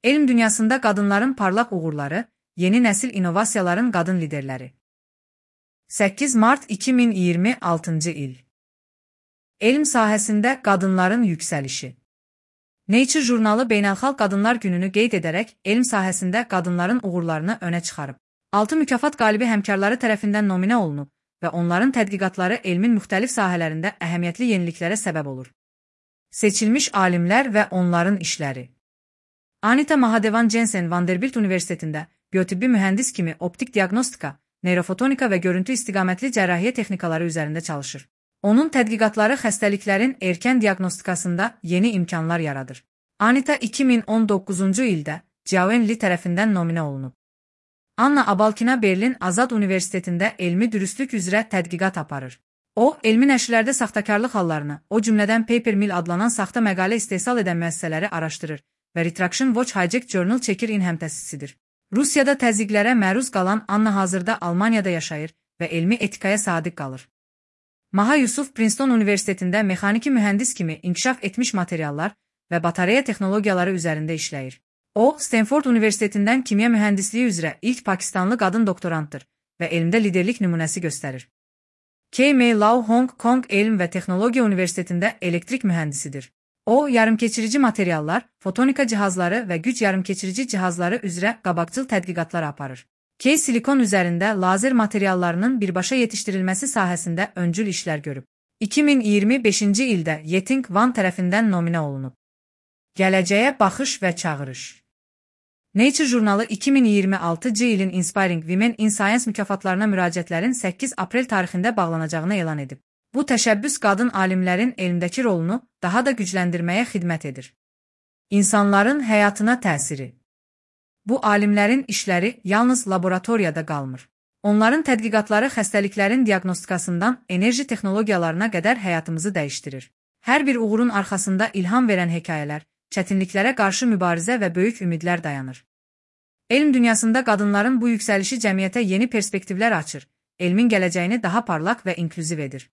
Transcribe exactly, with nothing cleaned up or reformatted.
Elm dünyasında qadınların parlaq uğurları, yeni nəsil innovasiyaların qadın liderləri. səkkiz mart iki min iyirmi altıncı il. Elm sahəsində qadınların yüksəlişi. Nature jurnalı Beynəlxalq Qadınlar Gününü qeyd edərək elm sahəsində qadınların uğurlarını önə çıxarıb. altı mükafat qalibi həmkarları tərəfindən nominə olunub və onların tədqiqatları elmin müxtəlif sahələrində əhəmiyyətli yeniliklərə səbəb olur. Seçilmiş alimlər və onların işləri. Anita Mahadevan Jensen Vanderbilt Universitetində biotibbi mühəndis kimi optik diaqnostika, neyrofotonika və görüntü istiqamətli cərrahiyyə texnikaları üzərində çalışır. Onun tədqiqatları xəstəliklərin erkən diaqnostikasında yeni imkanlar yaradır. Anita iki min on doqquzuncu ildə Jiawen Li tərəfindən nominə olunub. Anna Abalkina Berlin Azad Universitetində elmi dürüstlük üzrə tədqiqat aparır. O, elmi nəşrlərdə saxtakarlıq hallarını, o cümlədən Paper Mill adlanan saxta məqalə istehsal edən müəssisələri araşdırır və Retraction Watch Hijack Journal Checker-in həmtəsisidir. Rusiyada təzyiqlərə məruz qalan Anna hazırda Almaniyada yaşayır və elmi etikaya sadiq qalır. Maha Yusuf Princeton Universitetində mexaniki mühəndis kimi inkişaf etmiş materiallar və batareya texnologiyaları üzərində işləyir. O, Stanford Universitetindən kimya mühəndisliyi üzrə ilk Pakistanlı qadın doktorantdır və elmdə liderlik nümunəsi göstərir. K M Lau Hong Kong Elm və Texnologiya Universitetində elektrik mühəndisidir. O, yarımkeçirici materiallar, fotonika cihazları və güc yarımkeçirici cihazları üzrə qabaqcıl tədqiqatlar aparır. K silikon üzərində lazer materiallarının birbaşa yetişdirilməsi sahəsində öncül işlər görüb. iki min iyirmi beşinci ildə Yeting Wan tərəfindən nominə olunub. Gələcəyə baxış və çağırış. Nature jurnalı iki min iyirmi altıncı ilin Inspiring Women in Science mükafatlarına müraciətlərin səkkiz aprel tarixində bağlanacağını elan edib. Bu təşəbbüs qadın alimlərin elmdəki rolunu daha da gücləndirməyə xidmət edir. İnsanların həyatına təsiri. Bu alimlərin işləri yalnız laboratoriyada qalmır. Onların tədqiqatları xəstəliklərin diaqnostikasından enerji texnologiyalarına qədər həyatımızı dəyişdirir. Hər bir uğurun arxasında ilham verən hekayələr, çətinliklərə qarşı mübarizə və böyük ümidlər dayanır. Elm dünyasında qadınların bu yüksəlişi cəmiyyətə yeni perspektivlər açır, elmin gələcəyini daha parlaq və inklüziv edir.